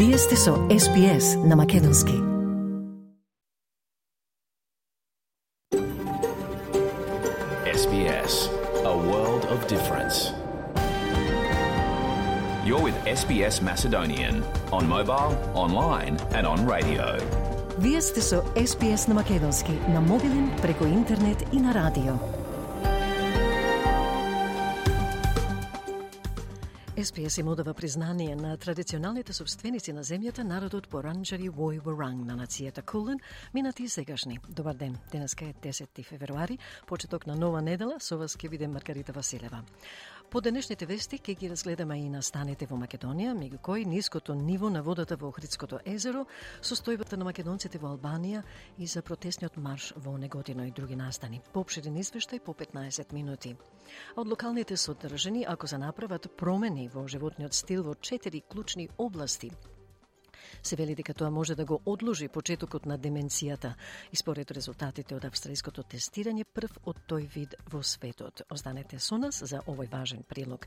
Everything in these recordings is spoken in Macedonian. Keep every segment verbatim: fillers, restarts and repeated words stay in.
Вие сте со Ес Би Ес на Македонски. Ес Би Ес, a world of difference. You're with Ес Би Ес Macedonian on mobile, online and on radio. Вие сте со Ес Би Ес на Македонски, на мобилен, преку интернет и на радио. Ес Би Ес им одава признание на традиционалните собственици на земјата, народот Боранџари Вој-Воранг на нацијата Кулен, минати и сегашни. Добар ден, денеска е десети февруари, почеток на нова недела, со вас ќе биде Маргарита Василева. По денешните вести ќе ги разгледаме и настаните во Македонија, меѓу кои ниското ниво на водата во Охридското езеро, состојбата на македонците во Албанија и за протестниот марш во Неготино и други настани. Поопширен извештај по петнаесет минути. А од локалните содржини, ако се направат промени во животниот стил во четири клучни области, се вели дека тоа може да го одложи почетокот на деменцијата и според резултатите од австралиското тестирање прв од тој вид во светот. Останете со нас за овој важен прилог.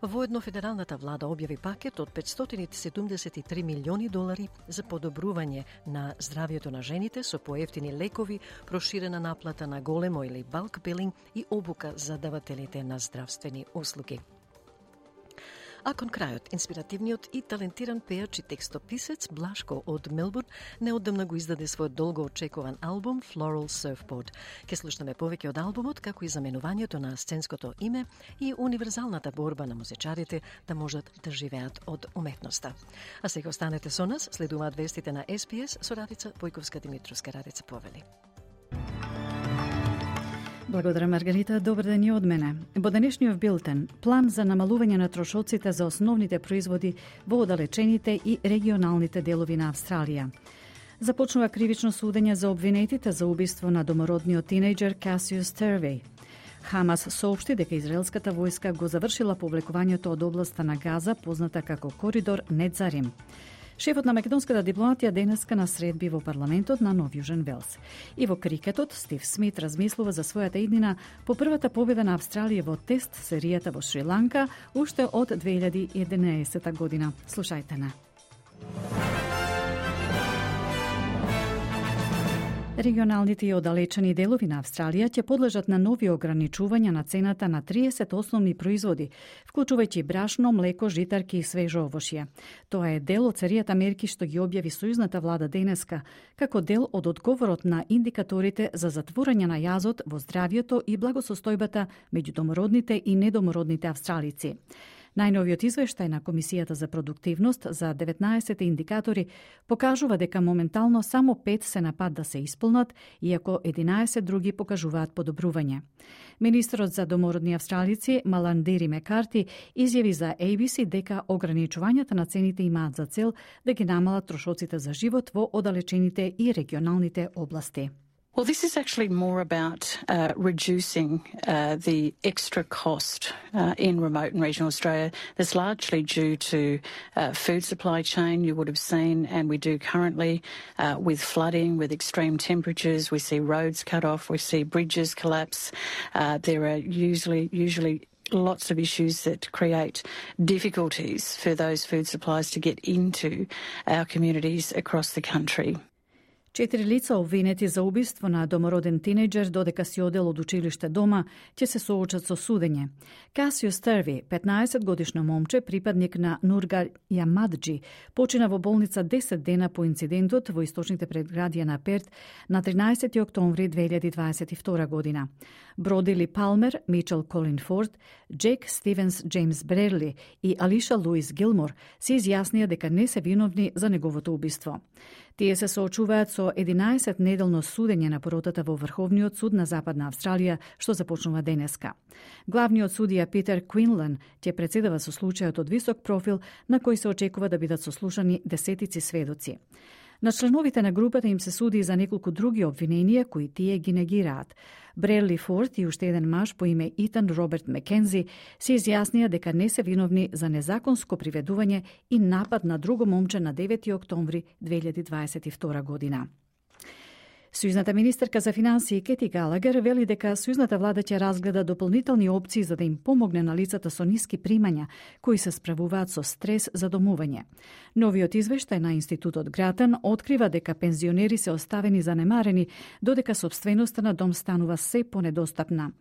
Воедно федералната влада објави пакет од петстотини седумдесет и три милиони долари за подобрување на здравјето на жените со поевтини лекови, проширена наплата на големо или балк билинг и обука за давателите на здравствени услуги. А кон крајот, инспиративниот и талентиран пејач и текстописец Блашко од Мелбурн неодамна го издаде својот долго очекуван албум Floral Surfboard. Ке слушнеме повеќе од албумот, како и заменувањето на сценското име и универзалната борба на музичарите да можат да живеат од уметноста. А сега останете со нас, следуваат вестите на Ес Би Ес со Радица Појковска-Димитровска. Радица повели. Благодарам, Маргарита. Добар ден и од мене. Во денешниот билтен, план за намалување на трошоците за основните производи во оддалечените и регионалните делови на Австралија. Започнува кривично судење за обвинетите за убиство на домородниот тинејџер Касиус Тервеј. Хамас соопшти дека израелската војска го завршила повлекувањето од областа на Газа, позната како коридор Недзарим. Шефот на македонската дипломатија денеска на средби во парламентот на Нов Јужен Велс. И во крикетот, Стив Смит размислува за својата иднина по првата победа на Австралија во тест серијата во Шри-Ланка уште од две илјади и единаесета година. Слушајте на. Регионалните и оддалечени делови на Австралија ќе подлежат на нови ограничувања на цената на триесет основни производи, вклучувајќи брашно, млеко, житарки и свежо овошје. Тоа е дел од серијата мерки што ги објави сојузната влада денеска, како дел од одговорот на индикаторите за затворање на јазот во здравјето и благосостојбата меѓу домородните и недомородните австралици. Најновиот извештај на Комисијата за продуктивност за деветнаесет индикатори покажува дека моментално само пет се на пат да се исполнат, иако единаесет други покажуваат подобрување. Министерот за домородни австралици Маландири Мекарти изјави за Ей Би Си дека ограничувањата на цените имаат за цел да ги намалат трошоците за живот во оддалечените и регионалните области. Well, this is actually more about uh, reducing uh, the extra cost uh, in remote and regional Australia that's largely due to uh, food supply chain. You would have seen, and we do currently, uh, with flooding, with extreme temperatures, we see roads cut off, we see bridges collapse. Uh, there are usually usually lots of issues that create difficulties for those food supplies to get into our communities across the country. Четири лица обвинети за убиство на домороден тинејџер додека си одел од училиште дома ќе се соочат со судење. Касиус Тервеј, петнаесет годишно момче, припадник на Нургар Јамаджи, почина во болница десет дена по инцидентот во источните предградија на Перт на тринаесети октомври две илјади дваесет и втора година. Бродили Палмер, Мичел Колин Форд, Джек Стивенс Джеймс Брерли и Алиша Луис Гилмор се изјаснија дека не се виновни за неговото убиство. Тие се соочуваат со единаесет неделно судење на поротата во Врховниот суд на Западна Австралија, што започнува денеска. Главниот судија Питер Квинлан ќе председава со случајот од висок профил на кој се очекува да бидат сослушани десетици сведоци. На членовите на групата им се суди за неколку други обвиненија кои тие ги негираат. Брерли Форд и уште еден маж по име Итан Роберт Мекензи се изјаснија дека не се виновни за незаконско приведување и напад на друго момче на девети октомври две илјади дваесет и втора година. Сојузната министерка за финансии Кети Галагер вели дека сојузната влада ќе разгледа дополнителни опции за да им помогне на лицата со ниски примања кои се справуваат со стрес за домување. Новиот извештај на Институтот Гратан открива дека пензионери се оставени занемарени, додека сопственоста на дом станува се понедостапна.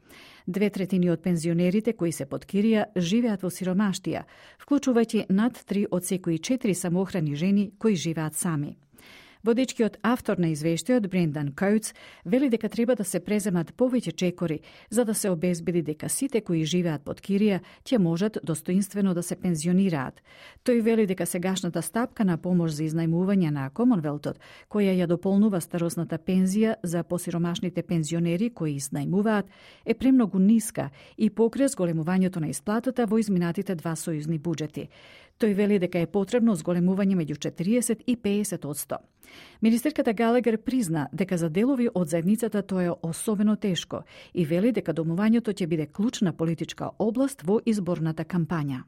Две третини од пензионерите кои се под кирија живеат во сиромаштија, вклучувајќи над три од секои четири самоохрани жени кои живеат сами. Водечкиот автор на извештајот Брендан Коутс вели дека треба да се преземат повеќе чекори за да се обезбеди дека сите кои живеат под кирија ќе можат достоинствено да се пензионираат. Тој вели дека сегашната стапка на помош за изнајмување на Комонвелтот, која ја дополнува старосната пензија за посиромашните пензионери кои изнајмуваат, е премногу ниска и покрие зголемувањето на исплатата во изминатите два сојузни буџети. Тој вели дека е потребно зголемување меѓу четириесет и педесет одсто. Министерката Галагер призна дека за делови од заедницата тоа е особено тешко и вели дека домувањето ќе биде клучна политичка област во изборната кампања.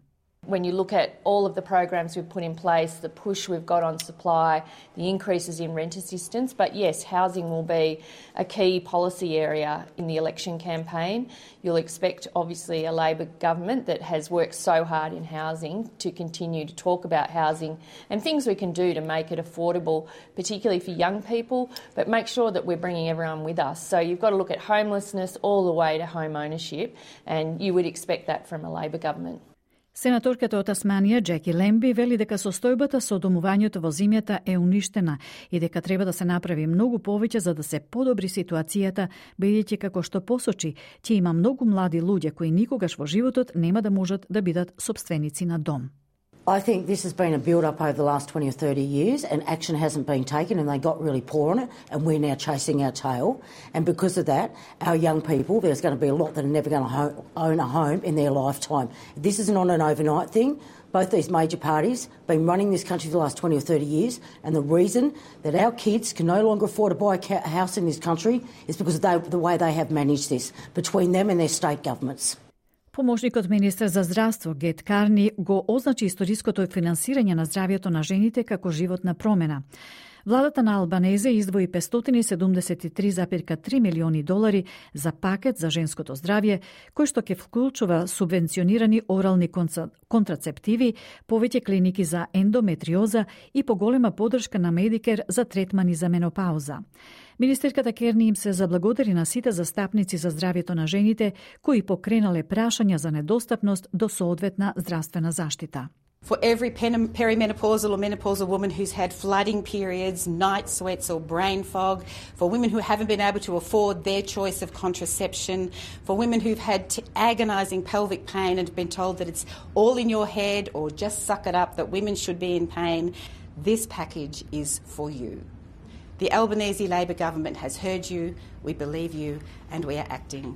When you look at all of the programs we've put in place, the push we've got on supply, the increases in rent assistance, but yes, housing will be a key policy area in the election campaign. You'll expect, obviously, a Labor government that has worked so hard in housing to continue to talk about housing and things we can do to make it affordable, particularly for young people, but make sure that we're bringing everyone with us. So you've got to look at homelessness all the way to home ownership, and you would expect that from a Labor government. Сенаторката од Тасманија, Джеки Лемби, вели дека состојбата со домувањето во земјата е уништена и дека треба да се направи многу повеќе за да се подобри ситуацијата, бидејќи како што посочи, ќе има многу млади луѓе кои никогаш во животот нема да можат да бидат сопственици на дом. I think this has been a build-up over the last twenty or thirty years and action hasn't been taken and they got really poor on it and we're now chasing our tail. And because of that, our young people, there's going to be a lot that are never going to ho- own a home in their lifetime. This isn't on an overnight thing. Both these major parties have been running this country for the last twenty or thirty years and the reason that our kids can no longer afford to buy a house in this country is because of they, the way they have managed this between them and their state governments. Помошникот министер за здравство Гет Карни го означи историското финансирање на здравјето на жените како животна промена. Владата на Албанезе издвои петстотини и седумдесет и три зарез три милиони долари за пакет за женското здравје, кој што ќе вклучува субвенционирани орални контрацептиви, повеќе клиники за ендометриоза и поголема поддршка на Медикер за третмани за менопауза. Министерката Керни им се заблагодари на сите застапници за здравјето на жените кои покренале прашања за недостапност до соодветна здравствена заштита. For every perimenopausal or menopausal woman who's had flooding periods, night sweats or brain fog, for women who haven't been able to afford their choice of contraception, for women who've had t- agonising pelvic pain and been told that it's all in your head or just suck it up, that women should be in pain, this package is for you. The Albanese Labor government has heard you, we believe you, and we are acting.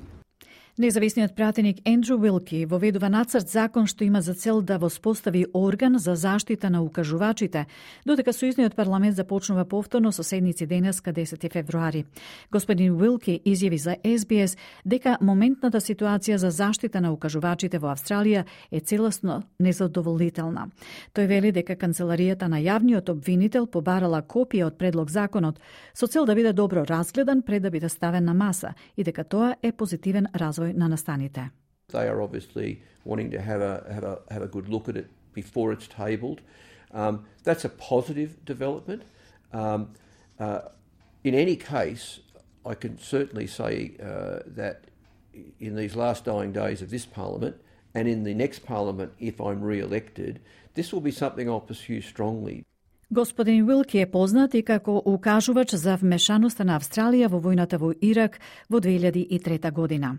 Независниот пратеник Ендрю Уилки воведува нацрт закон што има за цел да воспостави орган за заштита на укажувачите, додека сојузниот парламент започнува повторно со седници денеска десети февруари. Господин Уилки изјави за Ес Би Ес дека моментната ситуација за заштита на укажувачите во Австралија е целосно незадоволителна. Тој вели дека канцеларијата на јавниот обвинител побарала копија од предлог законот со цел да биде добро разгледан пред да биде ставен на маса и дека тоа е позитивен развој на настаните. They are obviously wanting to have a have a have a good look at it before it's tabled. Um, that's a positive development. Um, uh, in any case, I can certainly say uh, that in these last dying days of this Parliament and in the next Parliament, if I'm re-elected, this will be something I'll pursue strongly. Господин Уилки е познат и како укажувач за вмешаноста на Австралија во војната во Ирак во две илјади и трета година.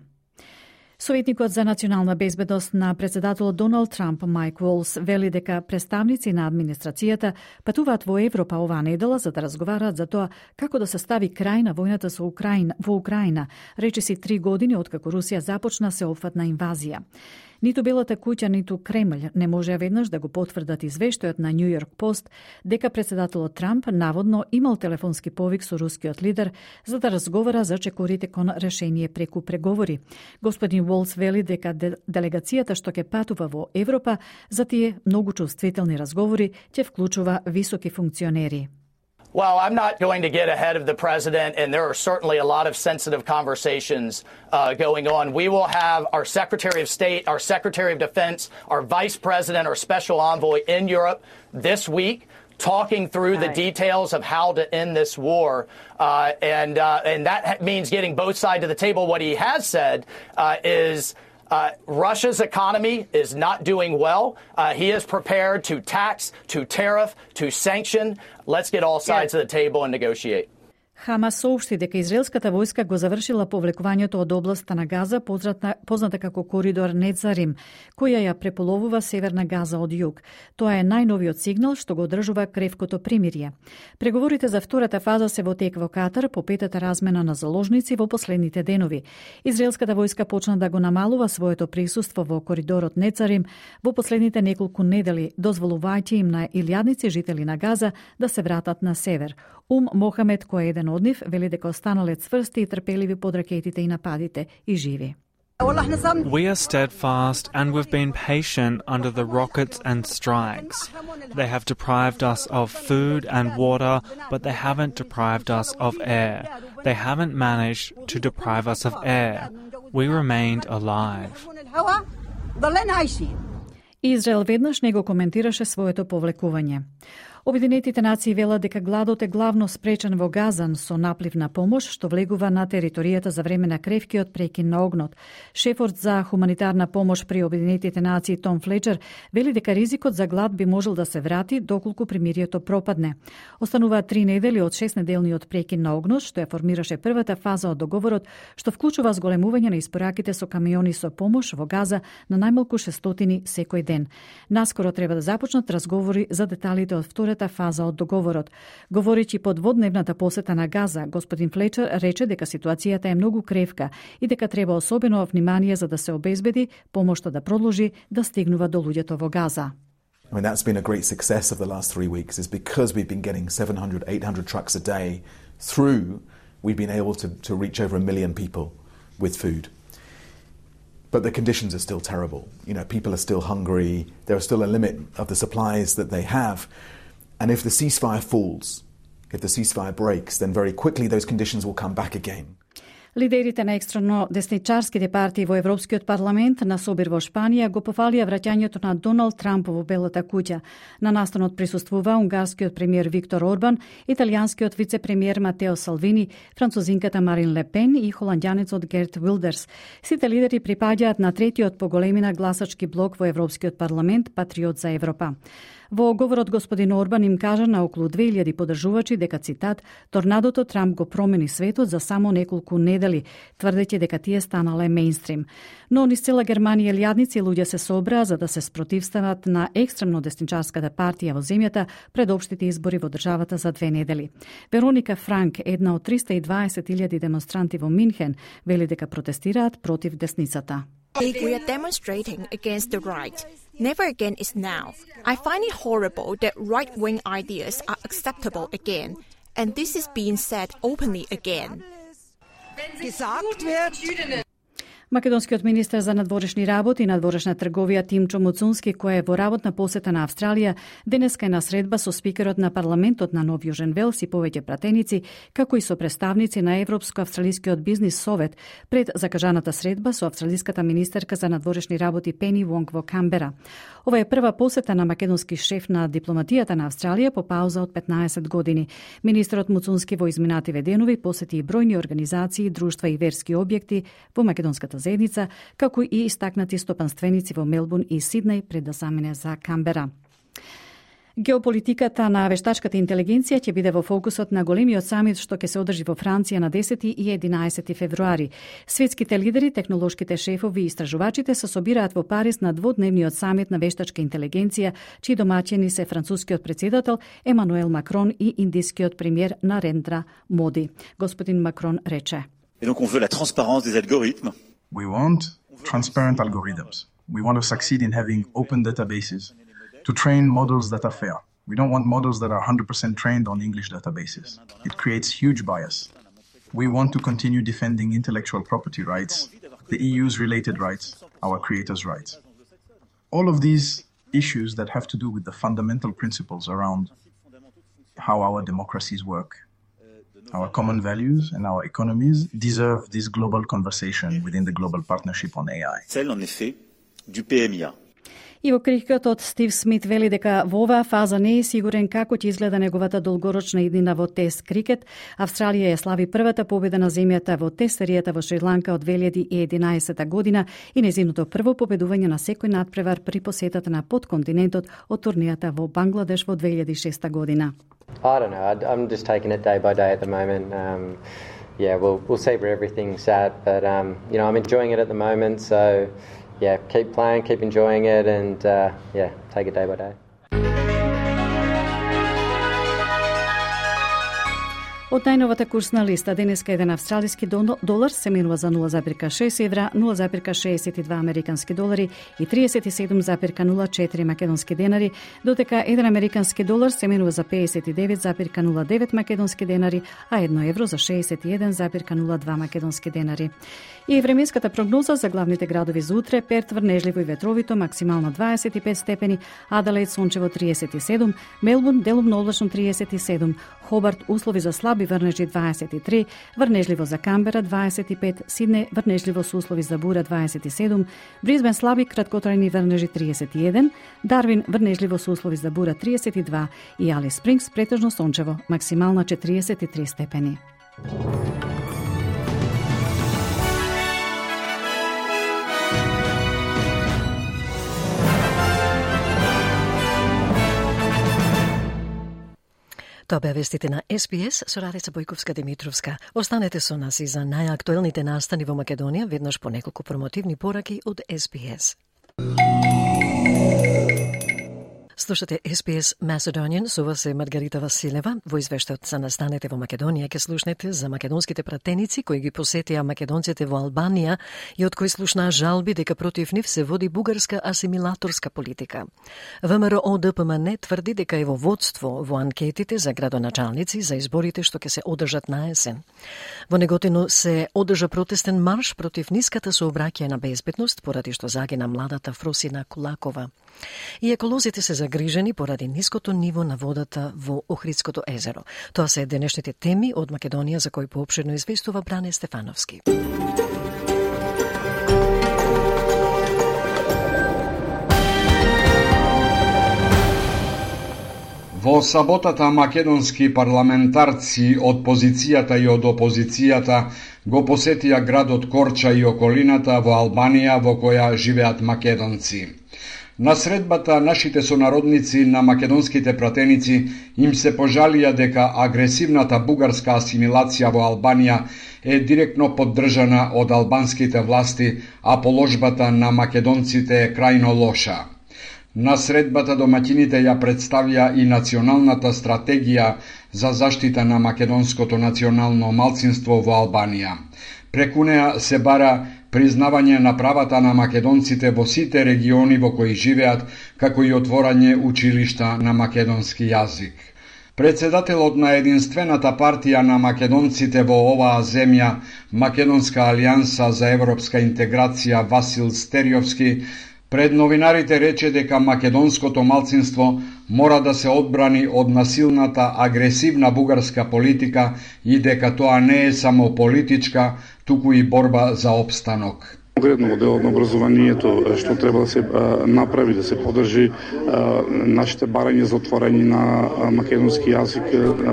Советникот за национална безбедност на председателот Доналд Трамп Майк Волс вели дека представници на администрацијата патуваат во Европа оваа недела за да разговараат за тоа како да се стави крај на војната со Украина, во Украина, речиси три години откако Русија започна сеопфатна инвазија. Ниту Белата куќа, ниту Кремљ не може веднаш да го потврдат извештајот на Нью Йорк Пост дека председателот Трамп наводно имал телефонски повик со рускиот лидер за да разговара за чекорите кон решение преку преговори. Господин Волс вели дека делегацијата што ќе патува во Европа за тие многу чувствителни разговори ќе вклучува високи функционери. Well, I'm not going to get ahead of the president, and there are certainly a lot of sensitive conversations uh, going on. We will have our Secretary of State, our Secretary of Defense, our Vice President, our Special Envoy in Europe this week, talking through the details of how to end this war. Uh, and, uh, and that means getting both sides of the table. What he has said uh, is uh, Russia's economy is not doing well. Uh, he is prepared to tax, to tariff, to sanction. Let's get all sides of the table and negotiate. Хамас соопшти дека израелската војска го завршила повлекувањето од областа на Газа, позната, позната како коридор Нецарим, која ја преполовува северна Газа од југ. Тоа е најновиот сигнал што го одржува кревкото примирие. Преговорите за втората фаза се во тек во Катар по петата размена на заложници во последните денови. Израелската војска почна да го намалува своето присуство во коридорот Нецарим во последните неколку недели, дозволувајќи им на илјадници жители на Газа да се вратат на север. Ум Мохамед, кој е еден од нив, вели дека останале цврсти и трпеливи под ракетите и нападите и живи. We are steadfast and we've been patient under the rockets and strikes. They have deprived us of food and water, but they haven't deprived us of air. They haven't managed to deprive us of air. We remained alive. Израел веднаш не го коментираше своето повлекување. Обединетите нации велат дека гладот е главно спречен во Газан со наплив на помош што влегува на територијата за време на кревкиот прекин на огнот. Шефот за хуманитарна помош при Обединетите нации Том Флечер вели дека ризикот за глад би можел да се врати доколку примирието пропадне. Остануваат три недели од шестнеделниот прекин на огнот што ја формираше првата фаза од договорот, што вклучува зголемување на испораките со камиони со помош во Газа на најмалку шестстотини секој ден. Наскоро треба да започнат разговори за деталите од втората фаза од договорот. Говорејќи под дводневната посета на Газа, господин Флечер рече дека ситуацијата е многу кревка и дека треба особено внимание за да се обезбеди помошта да продолжи да стигнува до луѓето во Газа. I mean, that's been a great success of the last three weeks is because we've been getting seven hundred, eight hundred trucks a day through, we've been able to, to reach over a million people with food. But the conditions are still terrible. You know, people are still hungry. There is still a limit of the supplies that they have. And if the ceasefire falls, if the ceasefire breaks, then very quickly those conditions will come back again. Лидерите на екстремно десничарските партии во Европскиот парламент на собир во Шпанија го пофалија враќањето на Доналд Трамп во Белата куќа. На настанот присуствува унгарскиот премиер Виктор Орбан, италијанскиот вице-премиер Матео Салвини, французинката Марин Ле Пен и холандјанецот Герт Вилдерс. Сите лидери припаѓаат на третиот по големина гласачки блок во Европскиот парламент Патриот за Европа. Во говорот господин Орбан им кажа на околу две илјади поддржувачи дека, цитат, торнадото Трамп го промени светот за само неколку недели, тврдејќи дека тие станале мејнстрим. Но низ цела Германија илјадници луѓе се собраа за да се спротивстават на екстремно десничарската партија во земјата пред општите избори во државата за две недели. Вероника Франк, една од триста и дваесет илјади демонстранти во Минхен, вели дека протестираат против десницата. We are demonstrating against the right. Never again is now. I find it horrible that right-wing ideas are acceptable again, and this is being said openly again. Македонскиот министер за надворешни работи и надворешна трговија Тимчо Муцунски, кој е во работна посета на Австралија, денеска е на средба со спикерот на парламентот на Нов Јужен Велс и повеќе пратеници, како и со представници на Европско-австралискиот бизнис совет пред закажаната средба со австралиската министерка за надворешни работи Пени Вонг во Камбера. Ова е прва посета на македонски шеф на дипломатијата на Австралија по пауза од петнаесет години. Министерот Муцунски во изминативе денови посети и бројни организации, друштва и верски објекти во македонската заедница, како и истакнати стопанственици во Мелбурн и Сиднеј пред да замине за Камбера. Геополитиката на вештачката интелигенција ќе биде во фокусот на големиот самит што ќе се одржи во Франција на десети и единаесети февруари. Светските лидери, технолошките шефови и истражувачите се собираат во Париз на дводневниот самит на вештачка интелигенција, чии домаќини се францускиот председател Емануел Макрон и индискиот премиер Нарендра Моди. Господин Макрон рече: Et donc on veut la transparence des algorithmes. We want transparent algorithms. We want to succeed in having open databases to train models that are fair. We don't want models that are one hundred percent trained on English databases. It creates huge bias. We want to continue defending intellectual property rights, the E U's related rights, our creators' rights. All of these issues that have to do with the fundamental principles around how our democracies work. Our common values and our economies deserve this global conversation within the global partnership on A I. Celle, en effet, du P M I A. И во крикетот Стив Смит вели дека во оваа фаза не е сигурен како ќе изгледа неговата долгорочна иднина во тест крикет. Австралија ја слави првата победа на земјата во тест серијата во Шри-Ланка од две илјади и единаесета година и нејзиното прво победување на секој надпревар при посетата на подконтинентот од турнијата во Бангладеш во две илјади и шеста година. I don't know. I'm just taking it day by day at the moment. Um, yeah, we'll we'll see where everything's at, but um, you know, I'm enjoying it at the moment. So, yeah, keep playing, keep enjoying it, and uh, yeah, take it day by day. Од најновата курсна листа, денеска еден австралиски долар се менува за нула запирка шест евра, нула запирка шеесет и два американски долари и триесет и седум запирка нула четири македонски денари, додека еден американски долар се менува за пеесет и девет запирка нула девет македонски денари, а едно евро за шеесет и еден запирка нула два македонски денари. И временската прогноза за главните градови за утре: Перт врнежливо и ветровито, максимално дваесет и пет степени, Аделаид сончево триесет и седум, Мелбурн делумно облачно триесет и седум, Хобарт услови за слаби врнежи дваесет и три, врнежливо за Камбера дваесет и пет, Сидне врнежливо со услови за бура дваесет и седум, Брисбен слаби краткотрајни врнежи тридесет и еден, Дарвин врнежливо со услови за бура тридесет и два и Алис Спрингс претежно сончево, максимална четириесет и три степени. Тоа беа вестите на Ес Би Ес со Радица Бојковска-Димитровска. Останете со нас и за најактуелните настани во Македонија, веднаш по неколку промотивни пораки од Ес Би Ес. Слушате Ес Би Ес Macedonian, со вас е Маргарита Василева. Во извештајот за настанете во Македонија ќе слушнете за македонските пратеници кои ги посетија македонците во Албанија и од кои слушнаа жалби дека против нив се води бугарска асимилаторска политика. ВМРО Д П М Н тврди дека е во водство во анкетите за градоначалници за изборите што ќе се одржат на есен. Во Неготино се одржа протестен марш против ниската сообраќајна безбедност поради што загина младата Фросина Кулакова. И еколозите се загрижени поради ниското ниво на водата во Охридското езеро. Тоа се денешните теми од Македонија за кои поопширно известува Бране Стефановски. Во саботата македонски парламентарци од позицијата и од опозицијата го посетија градот Корча и околината во Албанија во која живеат македонци. На средбата нашите сонародници на македонските пратеници им се пожалија дека агресивната бугарска асимилација во Албанија е директно поддржана од албанските власти, а положбата на македонците е крајно лоша. На средбата домаќините ја представија и националната стратегија за заштита на македонското национално малцинство во Албанија. Преку неа се бара признавање на правата на македонците во сите региони во кои живеат, како и отворање училишта на македонски јазик. Председателот на единствената партија на македонците во оваа земја, Македонска алијанса за европска интеграција, Васил Стериовски, пред новинарите рече дека македонското малцинство мора да се одбрани од насилната агресивна бугарска политика и дека тоа не е само политичка, туку и борба за опстанок. Конкретно во делот на образованието, што треба да се а, направи, да се поддржи а, нашите барања за отворање на а, македонски јазик,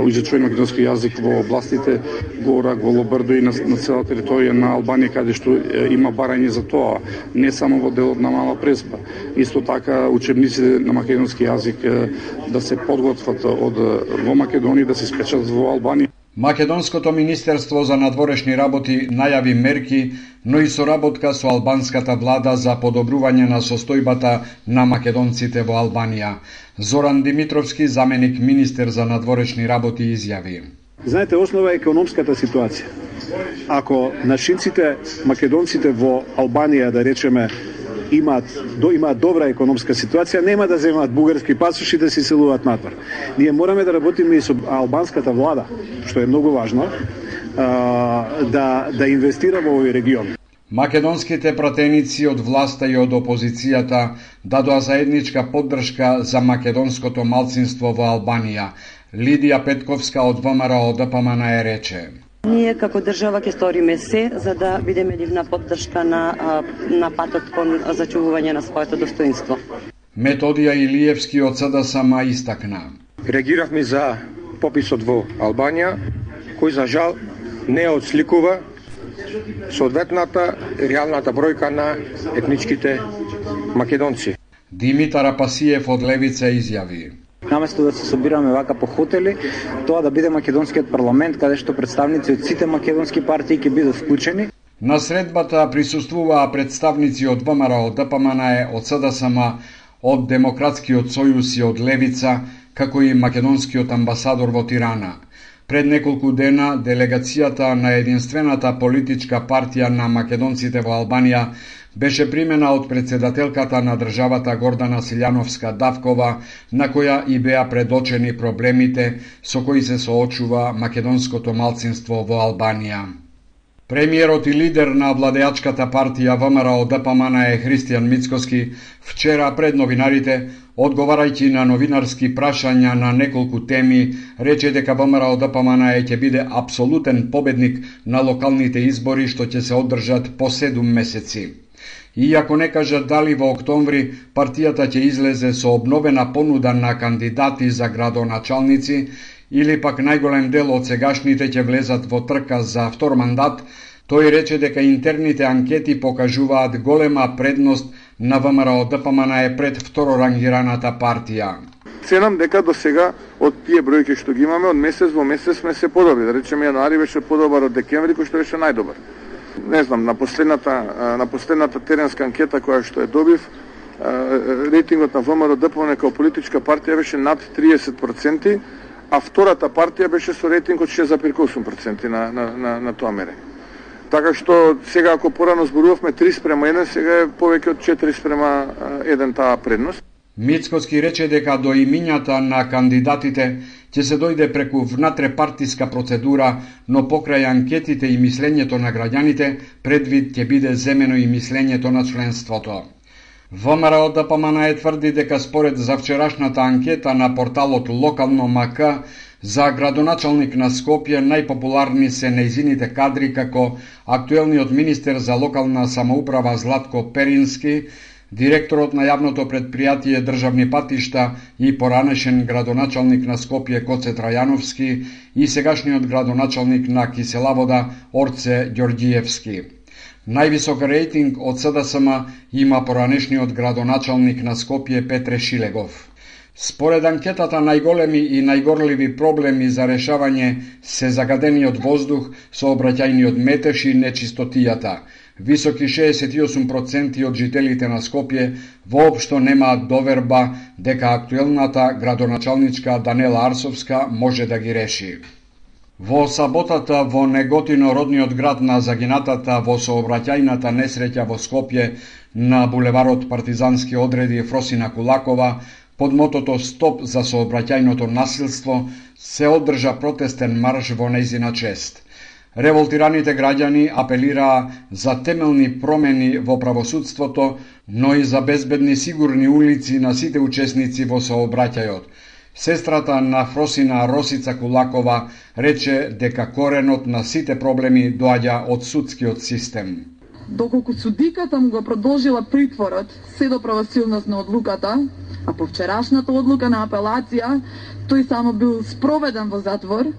изучување македонски јазик во областите Горак, во Лобрдо и на, на цела територија на Албанија, каде што а, има барање за тоа, не само во делот на Мала Преспа. Исто така учебниците на македонски јазик а, да се подготват од во Македонија, да се испечатат во Албанија. Македонското министерство за надворешни работи најави мерки, но и соработка со албанската влада за подобрување на состојбата на македонците во Албанија. Зоран Димитровски, заменик министер за надворешни работи, изјави: Знаете, основа е економската ситуација. Ако нашинците, македонците во Албанија, да речеме, имаат до имаат добра економска ситуација, нема да земаат бугарски пасоши да се селуваат надвор. Ние мораме да работиме и со албанската влада, што е многу важно, да да инвестира во овој регион. Македонските пратеници од власта и од опозицијата дадоа заедничка поддршка за македонското малцинство во Албанија. Лидија Петковска од ВМРО Д П М Н Е рече: Ние како држава ќе сториме се за да бидеме нивна поддршка на на патот кон зачувување на своето достоинство. Методија Илиевски од С Д С М истакна: Реагиравме за пописот во Албанија, кој за жал не отсликува соодветната реалната бројка на етничките македонци. Димитар Апасиев од Левица изјави: Наместо да се собираме вака по хотели, тоа да биде македонскиот парламент, каде што представници од сите македонски партии ќе бидат вклучени. На средбата присуствуваа представници од В М R, од Д П М Н Е, од С Д С М, од Демократскиот сојуз и од Левица, како и македонскиот амбасадор во Тирана. Пред неколку дена, делегацијата на единствената политичка партија на македонците во Албанија беше примена од председателката на државата Гордана Силјановска-Давкова, на која и беа предочени проблемите со кои се соочува македонското малцинство во Албанија. Премиерот и лидер на владеачката партија В М R од Д П М Н Е Христијан Мицкоски вчера пред новинарите, одговарајќи на новинарски прашања на неколку теми, рече дека В М R од Д П М Н Е ќе биде апсолутен победник на локалните избори што ќе се одржат по седум месеци. Иако не кажа дали во октомври партијата ќе излезе со обновена понуда на кандидати за градоначалници или пак најголем дел од сегашните ќе влезат во трка за втор мандат, тој рече дека интерните анкети покажуваат голема предност на В М R од Д П М Н Е пред второрангираната партија. Ценам дека до сега од тие бројки што ги имаме, од месец во месец сме се подобри. Да речеме, јануари беше подобар од декември, кој што беше најдобар. Не знам, на последната, на последната теренска анкета која што е добив, рейтингот на В М R Д П М Н Е како политичка партија беше над триесет проценти, а втората партија беше со рейтинг од шест зарез осум проценти на, на, на, на тоа мерење. Така што сега ако порано зборувавме три спрема еден, сега е повеќе од четири спрема еден таа предност. Мицкоски рече дека до имињата на кандидатите ќе се дојде преку внатрепартиска процедура, но покрај анкетите и мислењето на граѓаните, предвид ќе биде земено и мислењето на членството. В М R од Д П М Н Е тврди дека според завчерашната анкета на порталот Локално М К за градоначалник на Скопје најпопуларни се нејзините кадри како актуелниот министер за локална самоуправа Златко Перински, директорот на јавното предпријатие Државни патишта и поранешен градоначалник на Скопје Коце Трајановски и сегашниот градоначалник на Киселавода Орце Ѓорѓиевски. Највисок рейтинг од С Д С М има поранешниот градоначалник на Скопје Петре Шилегов. Според анкетата, најголеми и најгорливи проблеми за решавање се загадениот воздух, сообраќајниот метеж и нечистотијата. Високи шеесет и осум проценти од жителите на Скопје воопшто немаат доверба дека актуелната градоначалничка Данела Арсовска може да ги реши. Во саботата во Неготино, родниот град на загинатата во сообраќајната несреќа во Скопје на булеварот Партизански одреди Фросина Кулакова, под мотото Стоп за сообраќајното насилство, се одржа протестен марш во нејзина чест. Револтираните граѓани апелираа за темелни промени во правосудството, но и за безбедни сигурни улици на сите учесници во сообраќајот. Сестрата на Фросина Росица Кулакова рече дека коренот на сите проблеми доаѓа од судскиот систем. Доколку судиката му го продолжила притворот, се до правосилност на одлуката, а по вчерашната одлука на апелација, тој само бил спроведен во затвор,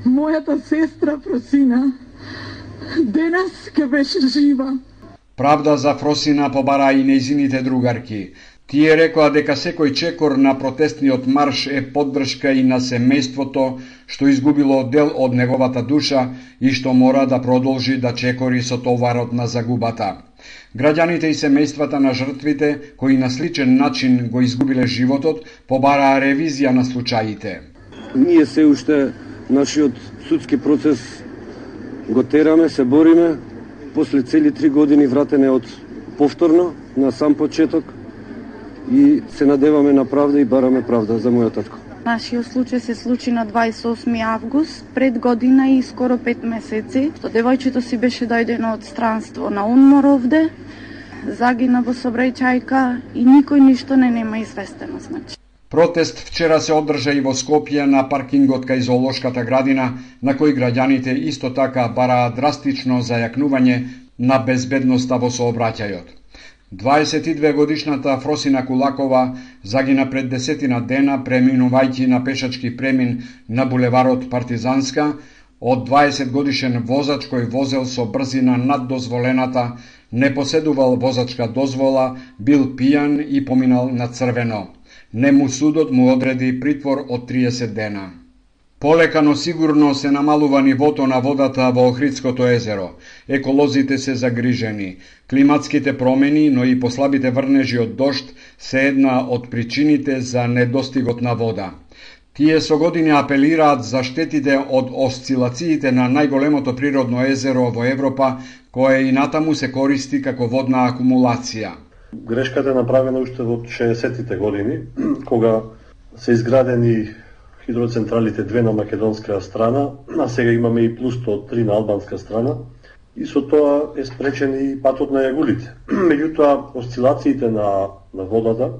мојата сестра Фросина денес ке беше жива. Правда за Фросина побара и нејзините другарки. Тие рекоа дека секој чекор на протестниот марш е поддршка и на семејството што изгубило дел од неговата душа и што мора да продолжи да чекори со товарот на загубата. Граѓаните и семејствата на жртвите, кои на сличен начин го изгубиле животот, побараа ревизија на случаите. Ние се уште нашиот судски процес го тераме, се бориме, после цели три години вратене од повторно на сам почеток и се надеваме на правда и бараме правда за мојот татко. Нашиот случај се случи на дваесет и осми август, пред година и скоро пет месеци, што девојчето си беше дојдено од странство на одмор овде, загина во сообраќајка и никој ништо не нема известено, значи. Протест вчера се одржа и во Скопје на паркингот кај зоолошката градина, на кој граѓаните исто така бараат драстично зајакнување на безбедноста во сообраќајот. дваесет и две годишната Фросина Кулакова загина пред десетина дена преминувајќи на пешачки премин на булеварот Партизанска од дваесет годишен возач кој возел со брзина над дозволената, не поседувал возачка дозвола, бил пијан и поминал на црвено. Нему судот му одреди притвор од триесет дена. Полека, но сигурно се намалува нивото на водата во Охридското езеро. Еколозите се загрижени. Климатските промени, но и послабите врнежи од дожд се една од причините за недостигот на вода. Тие со години апелираат за штетите од осцилациите на најголемото природно езеро во Европа, кое и натаму се користи како водна акумулација. Грешката е направена уште во шеесеттите години, кога се изградени хидроцентралите две на македонска страна, а сега имаме и плюс сто три на албанска страна, и со тоа е спречен и патот на јагулите. Меѓутоа, осцилациите на, на водата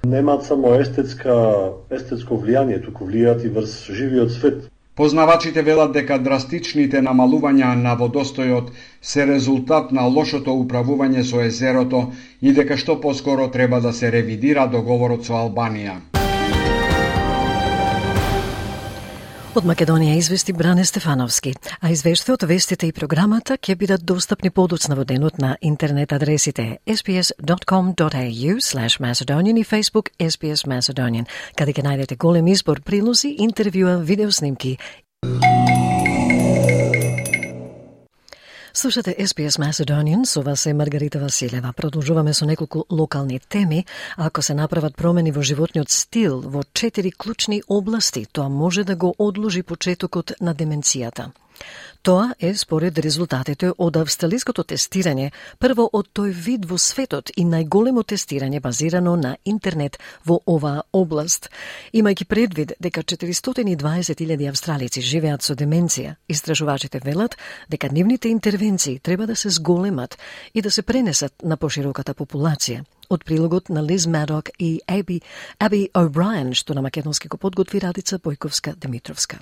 немаат само естетска, естетско влијание, туку влијаат и врз живиот свет. Познавачите велат дека драстичните намалувања на водостојот се резултат на лошото управување со езерото и дека што поскоро треба да се ревидира договорот со Албанија. Од Македонија извести Бране Стефановски, а извештајот, вестите и програмата ќе бидат достапни подоцна во денот на интернет адресите ес би ес dot com dot a u slash macedonian и Facebook ес би ес Macedonian, каде ќе најдете голем избор прилози, интервјуа, видеоснимки. Слушате ес би ес Macedonian, со вас е Маргарита Василева. Продолжуваме со неколку локални теми. Ако се направат промени во животниот стил во четири клучни области, тоа може да го одложи почетокот на деменцијата. Тоа е според резултатите од австралиското тестирање, прво од тој вид во светот и најголемо тестирање базирано на интернет во оваа област. Имајќи предвид дека четиристотини и дваесет илјади австралици живеат со деменција, истражувачите велат дека нивните интервенции треба да се зголемат и да се пренесат на пошироката популација. Од прилогот на Лиз Мадок и Аби, Аби О'Брајен, што на македонски го подготви Радица Бојковска-Димитровска.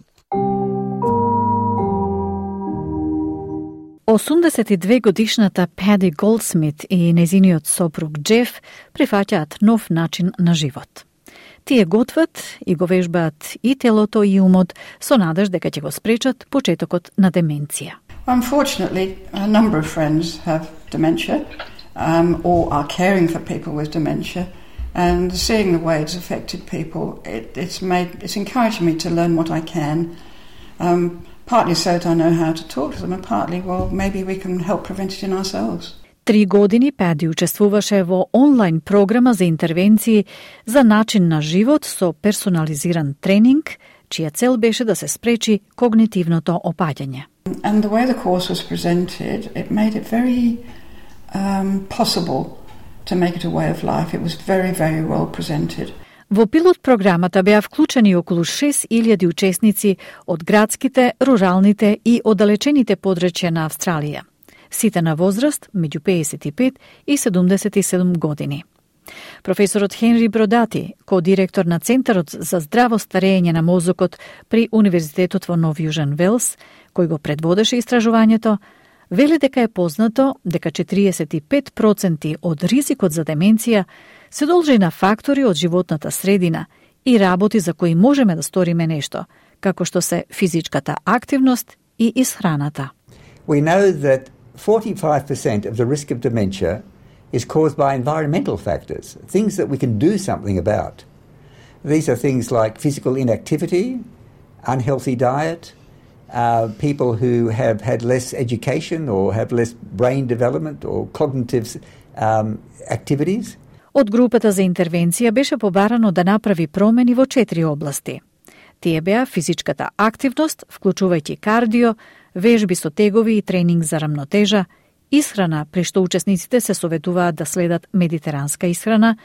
осумдесет и две годишната Пади Голдсмит и незиниот сопруг Джеф прифаќаат нов начин на живот. Тие готват и го вежбаат и телото и умот со надеж дека ќе го спречат почетокот на деменција. Unfortunately, a number of friends have dementia um, or are caring for people with dementia, and seeing the way it's affected people, it, it's made it's encouraged me to learn what I can. Um, Partly so that I know how to talk to them, and partly, well, maybe we can help prevent it in ourselves. Три години Пади учествуваше во онлайн програма за интервенции за начин на живот со персонализиран тренинг, чија цел беше да се спречи когнитивното опаѓање. And the way the course was presented, it made it very um, possible to make it a way of life. It was very, very well presented. Во пилот програмата беа вклучени околу шест илјади учесници од градските, руралните и оддалечените подрачја на Австралија. Сите на возраст меѓу пеесет и пет и седумдесет и седум години. Професорот Хенри Бродати, ко-директор на Центарот за здраво старење на мозокот при Универзитетот во Нов Јужен Велс, кој го предводеше истражувањето, вели дека е познато дека четириесет и пет проценти од ризикот за деменција се должи на фактори од животната средина и работи за кои можеме да сториме нешто, како што се физичката активност и исхраната. We know that forty-five percent of the risk of dementia is caused by environmental factors, things that we can do something about. These are things like physical inactivity, unhealthy diet, uh, people who have had less education or have less brain development or cognitive um, activities. Од групата за интервенција беше побарано да направи промени во четири области. Тие беа физичката активност, вклучувајќи кардио, вежби со тегови и тренинг за рамнотежа, исхрана, при што учесниците се советуваат да следат медитеранска исхрана,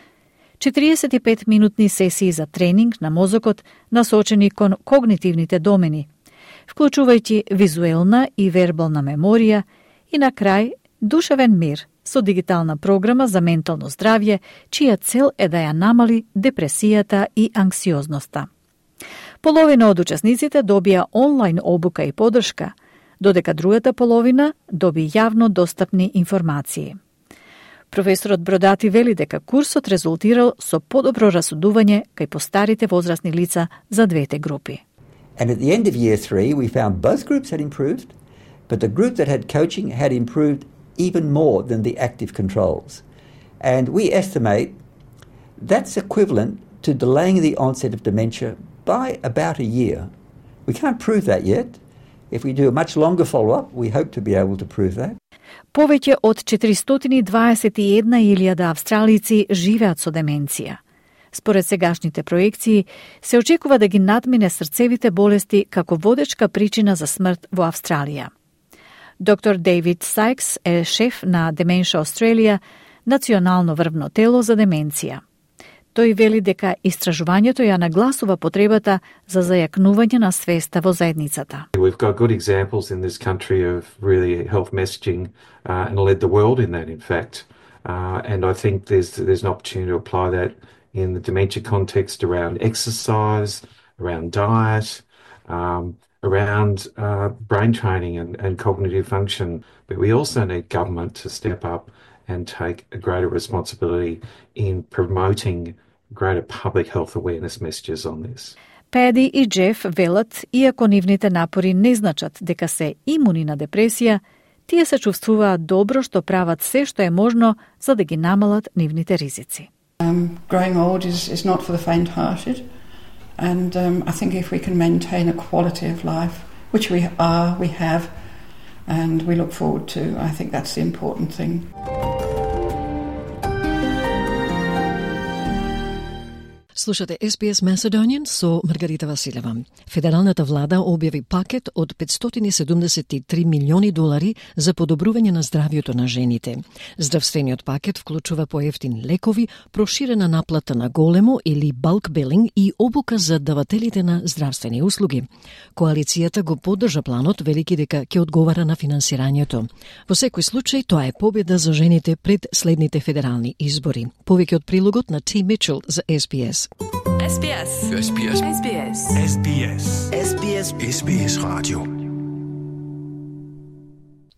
четириесет и пет минутни сесии за тренинг на мозокот насочени кон когнитивните домени, вклучувајќи визуелна и вербална меморија и на крај душевен мир со дигитална програма за ментално здравје, чија цел е да ја намали депресијата и анксиозноста. Половина од учесниците добија онлайн обука и поддршка, додека другата половина доби јавно достапни информации. Професорот Бродати вели дека курсот резултирал со подобро расудување кај постарите возрастни лица за двете групи. And at the end of year three, we found both groups had improved, but the group that had coaching had improved even more than the active controls. And we estimate that's equivalent to delaying the onset of dementia by about a year. We can't prove that yet. If we do a much longer follow-up, we hope to be able to prove that. Повеќе од четиристотини и дваесет и една илјада австралици живеат со деменција. Според сегашните проекции, се очекува да ги надмине срцевите болести како водечка причина за смрт во Австралија. Доктор Дейвид Сайкс е шеф на Dementia Australia, национално врвно тело за деменција. Тој вели дека истражувањето ја нагласува потребата за зајакнување на свеста во заедницата. We've got good examples in this country of really health messaging uh, and led the world in that, in fact. Uh, and I think there's there's an opportunity to apply that in the dementia context around exercise, around diet, um, around uh, brain training and, and cognitive function. But we also need government to step up and take a greater responsibility in promoting greater public health awareness messages on this. Педи и Джеф велат, иако нивните напори не значат дека се имуни на депресија, тие се чувствуваат добро што прават се што е можно за да ги намалат нивните ризици. Um, growing old is, is not for the faint-hearted, and um, I think if we can maintain a quality of life, which we are, we have, and we look forward to, I think that's the important thing. Слушате Ес Би Ес Macedonian со Маргарита Василева. Федералната влада објави пакет од петстотини и седумдесет и три милиони долари за подобрување на здравјето на жените. Здравствениот пакет вклучува поевтини лекови, проширена наплата на големо или bulk billing и обука за давателите на здравствени услуги. Коалицијата го поддржа планот, велики дека ќе одговара на финансирањето. Во секој случај, тоа е победа за жените пред следните федерални избори. Повеќе од прилогот на Ти Мичел за Ес Би Ес. Ес Би Ес. Ес Би Ес. Ес Би Ес. Ес Би Ес. Ес Би Ес. Ес Би Ес радио.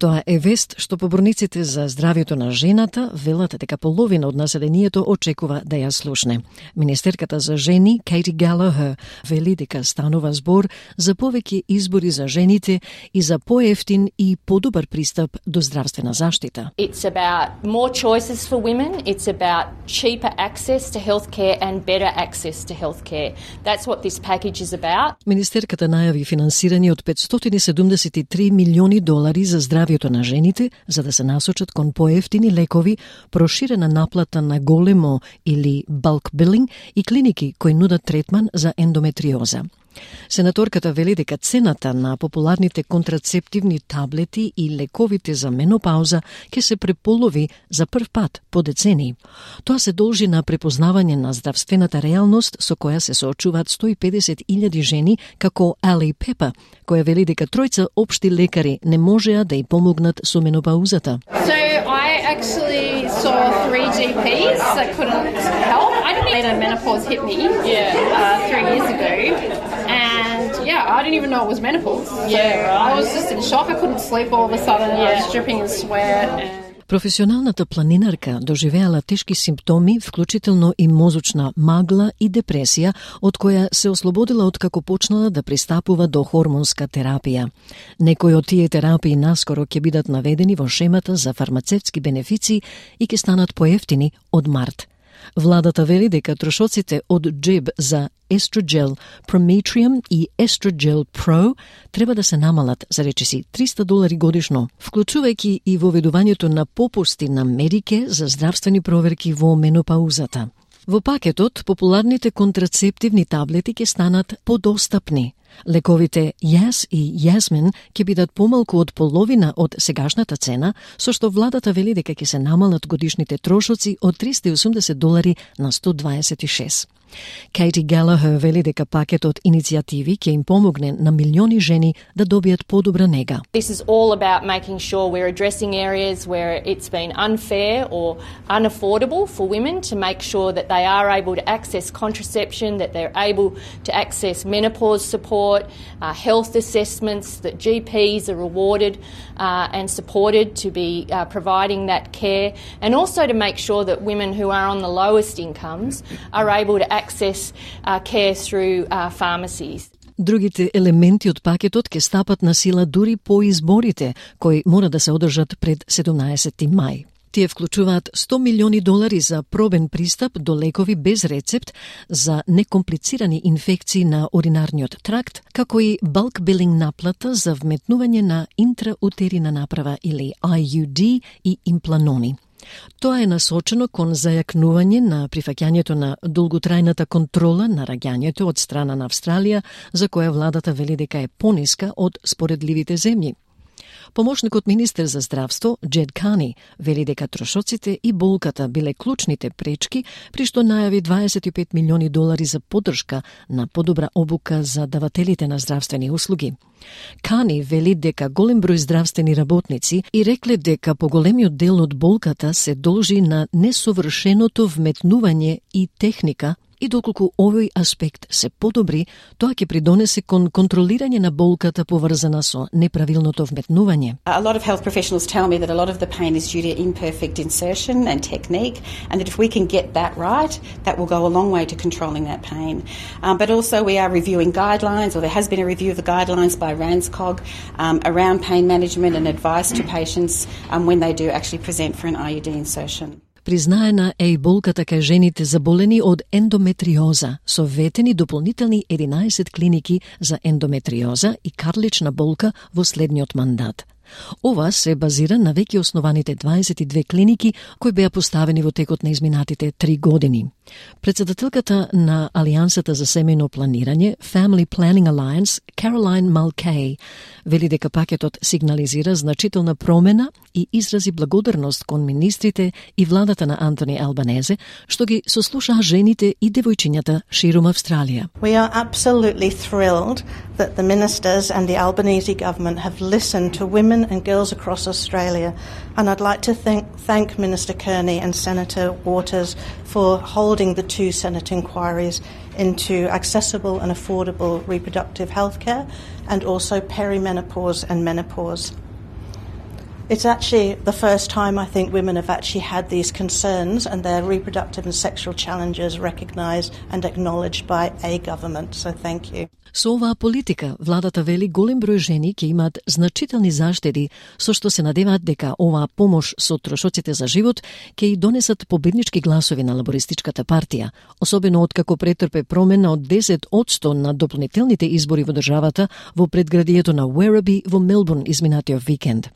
Тоа е вест што поборниците за здравјето на жената велат дека половина од населението очекува да ја слушне. Министерката за жени Кейти Галахер вели дека станува збор за повеќе избори за жените и за поевтин и подобар пристап до здравствена заштита. It's about more choices for women, it's about cheaper access to healthcare and better access to healthcare. That's what this package is about. Министерката најави финансирање од петстотини и седумдесет и три милиони долари за здравјето на жените, за да се насочат кон поевтини лекови, проширена наплата на големо или bulk billing и клиники кои нудат третман за ендометриоза. Сенаторката вели дека цената на популарните контрацептивни таблети и лековите за менопауза ќе се преполови за прв пат по децении. Тоа се должи на препознавање на здравствената реалност со која се соочуваат сто и педесет илјади жени, како Али Пепа, која вели дека тројца општи лекари не можеа да ја помогнат со менопаузата. So I actually saw three G Ps that couldn't help. I didn't even know menopause hit me yeah. uh, three years ago. And yeah, I didn't even know it was menopause. So yeah, right. I was just in shock. I couldn't sleep all of a sudden. Yeah. I was dripping in sweat. And... Професионалната планинарка доживеала тешки симптоми, вклучително и мозочна магла и депресија, од која се ослободила откако почнала да пристапува до хормонска терапија. Некои од тие терапии наскоро ќе бидат наведени во шемата за фармацевтски бенефиции и ќе станат поевтини од март. Владата вели дека трошоците од джеб за Estrogel Prometrium и Estrogel Pro треба да се намалат за речиси триста долари годишно, вклучувајќи и воведувањето на попусти на медике за здравствени проверки во менопаузата. Во пакетот, популарните контрацептивни таблети ќе станат подостапни. Лековите Јас и Јасмин ќе бидат помалку од половина од сегашната цена, со што владата вели дека ќе се намалат годишните трошоци од триста и осумдесет долари на сто дваесет и шест. Кейти Галахер вели дека пакетот иницијативи ќе им помогне на милиони жени да добијат подобра нега. This is all about making sure we're addressing areas where it's been unfair or unaffordable for women to make sure that they are able to access contraception, that they're able to access menopause support, uh, health assessments, that G Ps are rewarded uh, and supported to be uh, providing that care, and also to make sure that women who are on the lowest incomes are able to access uh, care through uh, pharmacies. Другите елементи од пакетот ќе стапат на сила дури по изборите, кои мора да се одржат пред седумнаесети мај. Тие вклучуваат сто милиони долари за пробен пристап до лекови без рецепт за некомплицирани инфекции на уринарниот тракт, како и bulk billing наплата за вметнување на интраутерина направа или I U D и импланони. Тоа е насочено кон зајакнување на прифаќањето на долготрајната контрола на раѓањето од страна на Австралија, за која владата вели дека е пониска од споредливите земји. Помошникот министер за здравство, Джед Кани, вели дека трошоците и болката биле клучните пречки, при што најави дваесет и пет милиони долари за поддршка на подобра обука за давателите на здравствени услуги. Кани вели дека голем број здравствени работници и рекле дека поголемиот дел од болката се должи на несовршеното вметнување и техника, и доколку овој аспект се подобри, тоа ќе придонесе кон контролирање на болката поврзана со неправилното вметнување. A lot of health professionals tell me that a lot of the pain is due to imperfect insertion and technique, and that if we can get that right, that will go a long way to controlling that pain. Um, but also we are reviewing guidelines, or there has been a review of the guidelines by RANZCOG um, around pain management and advice to patients um, when they do actually present for an I U D insertion. Признаена е и болката кај жените заболени од ендометриоза, со ветени дополнителни единаесет клиники за ендометриоза и карлична болка во следниот мандат. Ова се базира на веќе основаните дваесет и две клиники кои беа поставени во текот на изминатите три години. Председателката на Алијансата за семејно планирање, Family Planning Alliance, Caroline Mulcahy, вели дека пакетот сигнализира значителна промена и изрази благодарност кон министрите и владата на Антони Албанезе, што ги сослушаа жените и девојчињата ширум Австралија. We are absolutely thrilled that the ministers and the Albanese government have listened to women and girls across Australia, and I'd like to thank, thank Minister Kearney and Senator Waters for holding the two Senate inquiries into accessible and affordable reproductive health care and also perimenopause and menopause. It's actually the first time I think women have actually had these concerns and their reproductive and sexual challenges recognised and acknowledged by a government, so thank you. Со оваа политика, владата вели голем број жени ќе имаат значителни заштеди, со што се надеваат дека оваа помош со трошоците за живот ќе и донесат победнички гласови на лабористичката партија, особено откако претрпе промена од десет одсто на дополнителните избори во државата во предградието на Werribee во Мелбурн изминатиот викенд.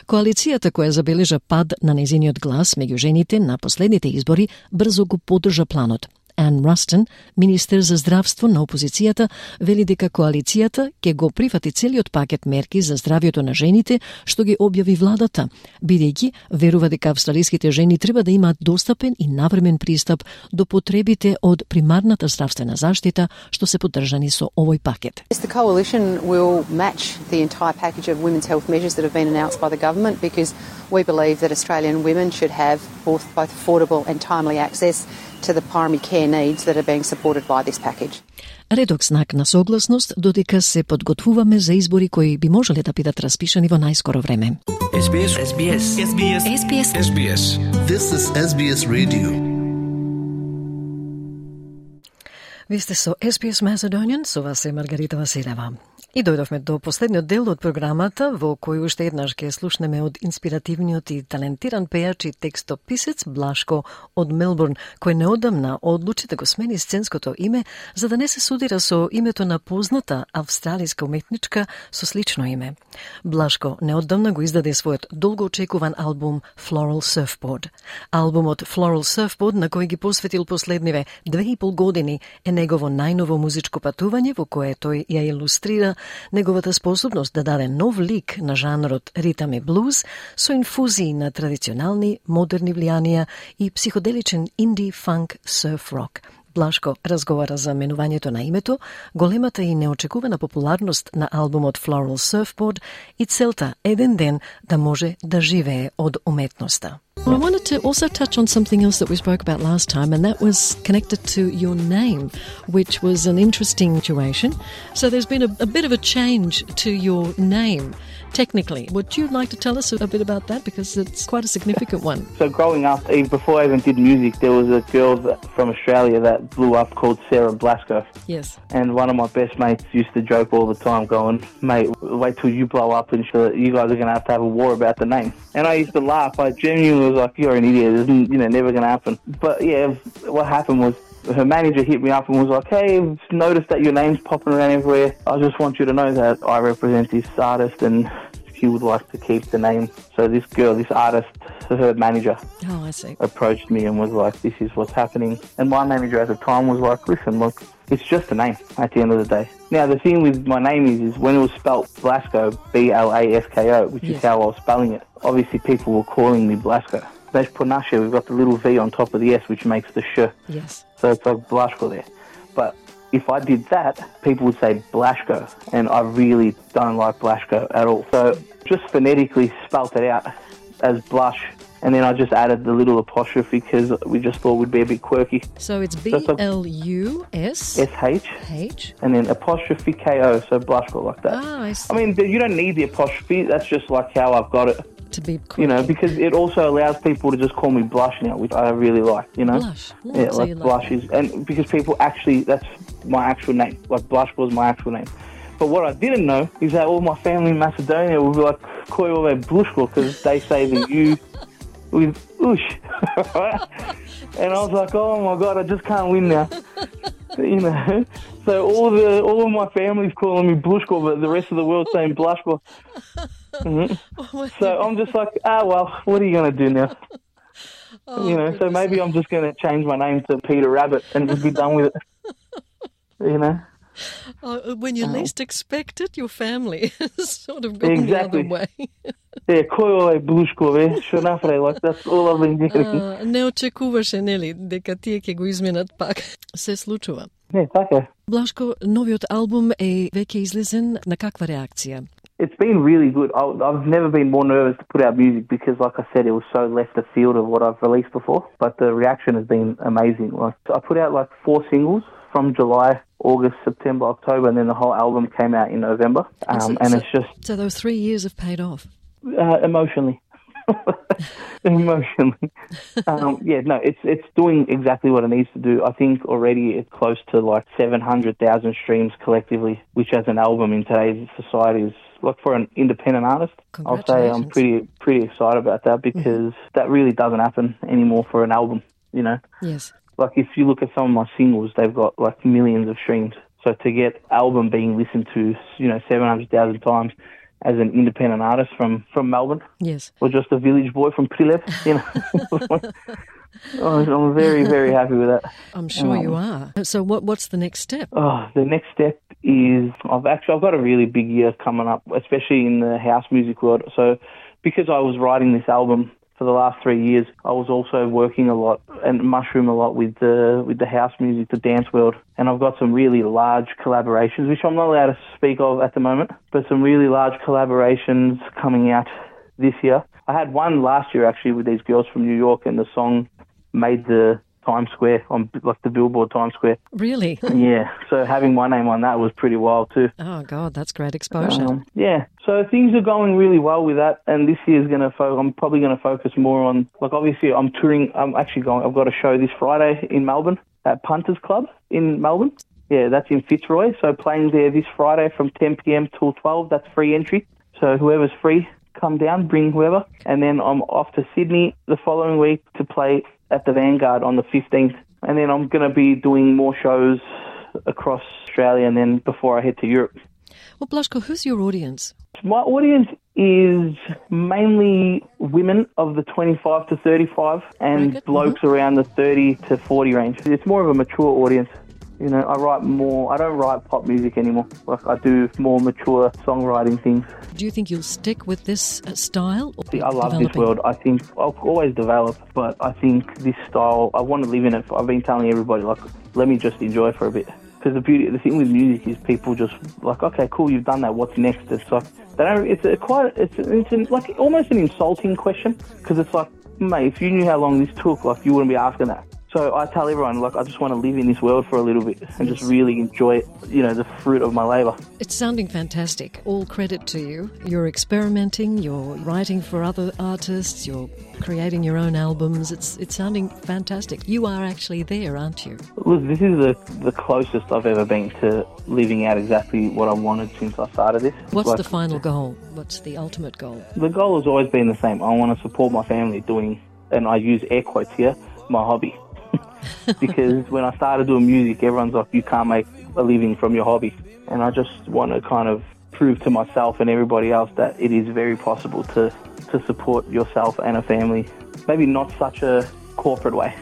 Коалицијата која забележа пад на незиниот глас меѓу жените на последните избори брзо го поддржа планот. Ан Растон, министер за здравство на опозицијата, вели дека коалицијата ќе го прифати целиот пакет мерки за здравјето на жените што ги објави владата, бидејќи верува дека австралиските жени треба да имаат достапен и навремен пристап до потребите од примарната здравствена заштита што се поддржани со овој пакет. The coalition will match the entire package of women's health measures that have been announced by the government because we believe that Australian women should have both, both affordable and timely access to the primary care needs that are being supported by this package. Редок знак на согласност додека се подготвуваме за избори кои би можеле да бидат распишани во најскоро време. S B S S B S S B S S B S S B S This is S B S Radio. Ви сте со S B S Macedonian, со вас е Маргарита Василева. И дојдовме до последниот дел од програмата, во кој уште еднаш ќе слушнеме од инспиративниот и талентиран пејач и текстописец Блашко од Мелбурн, кој неодамна одлучи да го смени сценското име за да не се судира со името на позната австралиска уметничка со слично име. Блашко неодамна го издаде својот долгоочекуван албум Floral Surfboard. Албумот Floral Surfboard, на кој ги посветил последниве две и пол години, е негово најново музичко патување во кое тој ја илустрира неговата способност да даде нов лик на жанрот ритам и блуз со инфузии на традиционални, модерни влијанија и психоделичен инди, фанк, сурф рок. Блашко разговара за менувањето на името, големата и неочекувана популарност на албумот Floral Surfboard и целта еден ден да може да живее од уметноста. I wanted to also touch on something else that we spoke about last time, and that was connected to your name, which was an interesting situation. So there's been a, a bit of a change to your name, technically. Would you like to tell us a bit about that? Because it's quite a significant one. So growing up, even before I even did music, there was a girl that, from Australia that blew up called Sarah Blasco. Yes. And one of my best mates used to joke all the time going, mate, wait till you blow up and you guys are going to have to have a war about the name. And I used to laugh. I genuinely was like, you're an idiot. It's, you know, never going to happen. But yeah, what happened was her manager hit me up and was like, hey, I've noticed that your name's popping around everywhere. I just want you to know that I represent this artist and she would like to keep the name. So this girl, this artist, her manager oh, I see. approached me and was like, this is what's happening. And my manager at the time was like, listen, look, it's just a name at the end of the day. Now, the thing with my name is, is when it was spelt Blasco, B L A S K O, which yes. is how I was spelling it, obviously people were calling me Blasco. There's Pronashe, we've got the little V on top of the S, which makes the sh. Yes. So it's like Blasco there. But if I did that, people would say Blashko, and I really don't like Blashko at all. So just phonetically spelt it out as Blush, and then I just added the little apostrophe because we just thought it would be a bit quirky. So it's B L U S S H H and then apostrophe K O, so Blushko like that. Ah, I see. I mean, you don't need the apostrophe, that's just like how I've got it. To be quirky. You know, because it also allows people to just call me Blush now, which I really like, you know? Blush. Yeah, yeah, like Blush is, and because people actually, that's my actual name. Like Blush was my actual name. But what I didn't know is that all my family in Macedonia would be like, Koyove Blushko, because they say the U with oosh. And I was like, oh my God, I just can't win now. You know? So all the all of my family's calling me Blushko, but the rest of the world's saying Blushko. Mm-hmm. Oh, so I'm just like, ah, well, what are you going to do now? Oh, you know, goodness. So maybe I'm just going to change my name to Peter Rabbit and just be done with it. You know? Oh, when you um, least expect it, your family has sort of gone exactly. the other way. Yeah, кој е Блушко, што направи, like that's all I've been getting. Не очекуваше, нели, дека тие ќе го изменат пак. Се случува. Не, така. Блашко, новиот албум е веќе излезен, на каква реакција? It's been really good. I've never been more nervous to put out music because, like I said, it was so left the field of what I've released before. But the reaction has been amazing. Like I put out like four singles from July, August, September, October, and then the whole album came out in November. Um, so, and so, it's just... So those three years have paid off? Uh, emotionally. emotionally. Um, yeah, no, it's it's doing exactly what it needs to do. I think already it's close to like seven hundred thousand streams collectively, which as an album in today's society is, like for an independent artist, I'll say I'm pretty pretty excited about that because mm-hmm. that really doesn't happen anymore for an album, you know? Yes. Like if you look at some of my singles, they've got like millions of streams. So to get album being listened to, you know, seven hundred thousand times as an independent artist from, from Melbourne. Yes. Or just a village boy from Prilep, you know. I'm very, very happy with that. I'm sure um, you are. So what what's the next step? Oh, the next step is I've actually I've got a really big year coming up, especially in the house music world. So because I was writing this album for the last three years, I was also working a lot and mushroom a lot with the with the house music, the dance world. And I've got some really large collaborations, which I'm not allowed to speak of at the moment, but some really large collaborations coming out this year. I had one last year actually with these girls from New York, and the song made the Times Square, on like the Billboard Times Square. Really? Yeah. So having my name on that was pretty wild too. Oh God, that's great exposure. Um, yeah. So things are going really well with that, and this year's going to. Fo- I'm probably going to focus more on, like, obviously I'm touring. I'm actually going. I've got a show this Friday in Melbourne at Punters Club in Melbourne. Yeah, that's in Fitzroy. So playing there this Friday from ten p.m. till twelve. That's free entry. So whoever's free, come down, bring whoever. And then I'm off to Sydney the following week to play at the Vanguard on the fifteenth. And then I'm going to be doing more shows across Australia and then before I head to Europe. Well, Blaško, who's your audience? My audience is mainly women of the twenty-five to thirty-five and Bracket? blokes mm-hmm. around the thirty to forty range. It's more of a mature audience. You know, I write more, I don't write pop music anymore. Like, I do more mature songwriting things. Do you think you'll stick with this uh, style? Or See, I love developing? this world. I think I'll always develop, but I think this style, I want to live in it. I've been telling everybody, like, let me just enjoy it for a bit. Because the beauty, the thing with music is people just like, okay, cool, you've done that. What's next? It's like they don't. It's a quite. It's it's an, like almost an insulting question because it's like, mate, if you knew how long this took, like you wouldn't be asking that. So I tell everyone, like, I just want to live in this world for a little bit and just really enjoy it, you know, the fruit of my labour. It's sounding fantastic. All credit to you. You're experimenting, you're writing for other artists, you're creating your own albums. It's it's sounding fantastic. You are actually there, aren't you? Look, this is the, the closest I've ever been to living out exactly what I wanted since I started this. What's like, the final goal? What's the ultimate goal? The goal has always been the same. I want to support my family doing, and I use air quotes here, my hobby. Because when I started doing music, everyone's like, you can't make a living from your hobby. And I just want to kind of prove to myself and everybody else that it is very possible to, to support yourself and a family. Maybe not such a corporate way.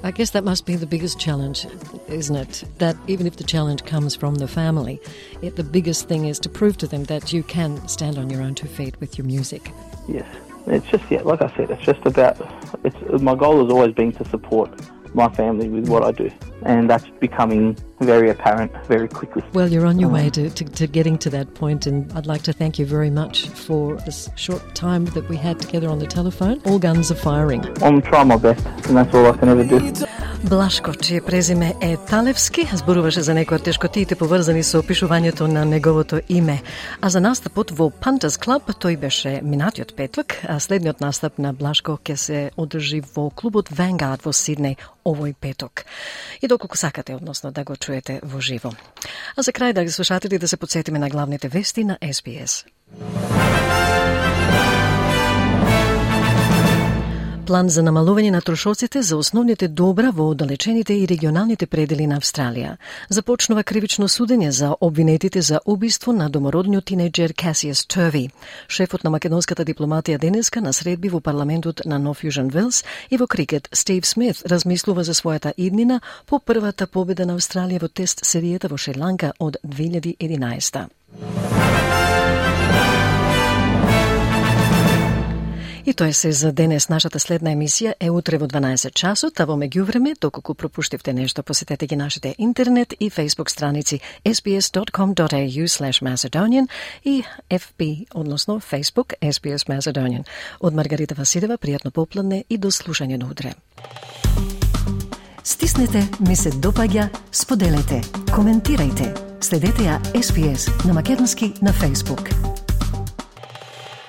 I guess that must be the biggest challenge, isn't it? That even if the challenge comes from the family, it, the biggest thing is to prove to them that you can stand on your own two feet with your music. Yes. It's just, yeah, like I said, it's just about, it's my goal has always been to support my family with what I do, and that's becoming very apparent very quickly. Well, you're on your um, way to, to, to getting to that point, and I'd like to thank you very much for this short time that we had together on the telephone. All guns are firing. I'm trying my best, and that's all I can ever do. Блашко, чие презиме е Талевски, зборуваше за некои од тешкотиите поврзани со опишувањето на неговото име. А за настапот во Pantas Club, тој беше минатиот петок, а следниот настап на Блашко ќе се одржи во клубот Vanguard во Сиднеј овој петок. И доколку сакате, односно да го чуете во живо. А за крај, драги слушатели, да се подсетиме на главните вести на Ес Би Ес. План за намалување на трошоците за основните добра во оддалечените и регионалните предели на Австралија. Започнува кривично судење за обвинетите за убиство на домородниот тинејџер Касијас Турви. Шефот на македонската дипломатија денеска на средби во парламентот на Нов Јужен Велс и во крикет Стив Смит размислува за својата иднина по првата победа на Австралија во тест серијата во Шри-Ланка од две илјади и единаесета. И тоа е се за денес. Нашата следна емисија е утре во дванаесет часот, а во меѓувреме, доколку пропуштивте нешто, посетете ги нашите интернет и Facebook страници ес би ес dot com dot a u slash macedonian и Еф Би, односно Facebook Ес Би Ес Macedonian. Од Маргарита Василева, пријатно попладне и до слушање на утре. Стиснете, ми се допаѓа, споделете, коментирајте. Следете ја Ес Би Ес на македонски на Facebook.